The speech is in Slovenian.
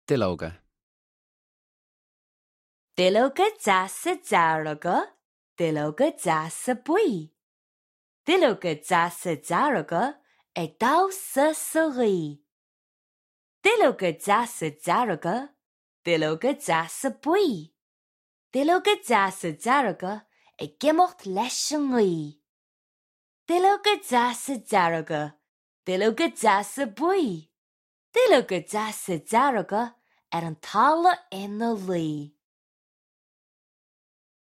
Duilleoga. Duilleoga deasa dearaga, duilleoga deasa buí. Duilleoga deasa dearaga ag dása sa rí. Duilleoga deasa dearaga, duilleoga deasa buí. Duilleoga deasa dearaga ag gimocht leis an rí. Duilleoga deasa dearaga, duilleoga deasa buí. Duilleoga deasa dearaga ar an talla ina lí.